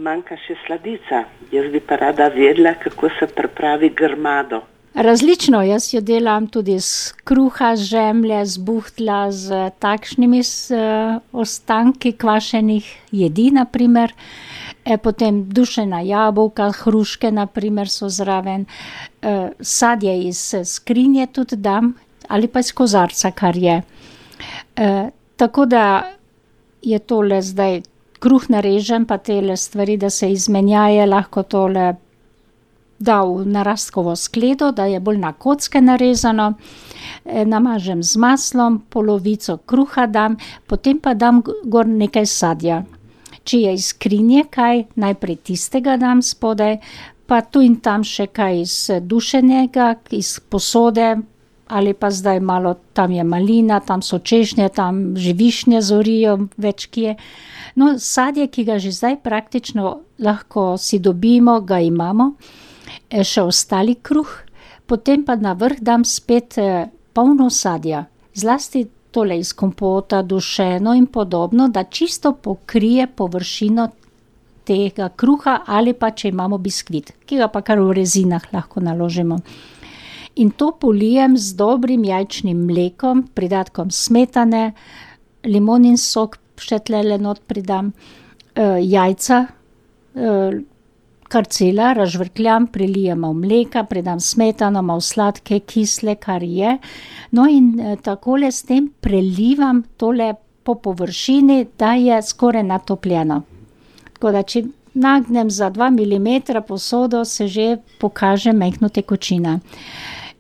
manjka še sladica. Jaz bi pa rada vedela, kako se pripravi grmado. Različno, jaz jo delam tudi z kruha, z žemlje, z buhtla, z takšnimi ostanki kvašenih jedi, naprimer. Potem dušena jabolka, hruške, naprimer, so zraven. Sadje iz skrinje tudi dam, ali pa iz kozarca, kar je. Tako da je tole zdaj, kruh narežem, pa tele stvari, da se izmenjaje, lahko tole da v narastkovo skledo, da je bolj na kocke narezano, namažem z maslom, polovico kruha dam, potem pa dam gor nekaj sadja. Če je iz skrinje kaj, najprej tistega dam spodaj, pa tu in tam še kaj iz dušenega, iz posode, ali pa zdaj malo, tam je malina, tam so češnje, tam že višnje zorijo, več kje. No, sadje, ki ga že zdaj praktično lahko si dobimo, ga imamo, še ostali kruh, potem pa na vrh dam spet polno sadja, zlasti tole iz kompota, dušeno in podobno, da čisto pokrije površino tega kruha, ali pa če imamo biskvit, ki ga pa kar v rezinah lahko naložimo. In to polijem z dobrim jajčnim mlekom, pridatkom smetane, limonin sok še tlele not pridam, jajca, kar cela, razžvrkljam, prilijemo mleka, pridam smetano, malo sladke, kisle, kar je. No in takole s tem prelivam tole po površini, da je skoraj natopljeno. Tako da, če nagnem za 2 milimetra posodo, se že pokaže majhna tekočina.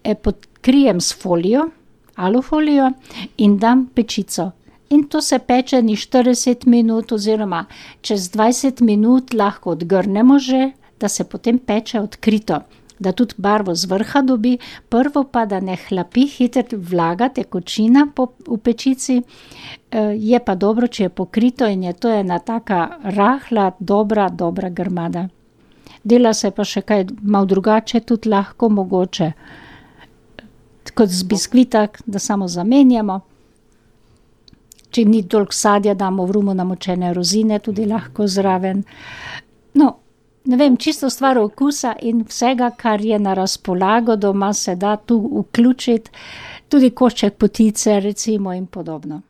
Pokrijem s folijo, alufolijo in dam pečico. In to se peče ni 40 minut oziroma čez 20 minut lahko odgrnemo že, da se potem peče odkrito, da tudi barvo z vrha dobi, prvo pa, da ne hlapi hitro vlaga, tekočina v pečici, je pa dobro, če je pokrito in je to ena taka rahla, dobra grmada. Dela se pa še kaj malo drugače, tudi lahko mogoče, kot z biskvita, da samo zamenjamo. Če ni toliko sadja, damo v rumo namočene rozine, tudi lahko zraven. No, ne vem, čisto stvar okusa in vsega, kar je na razpolago doma, se da tu vključiti, tudi košček potice recimo in podobno.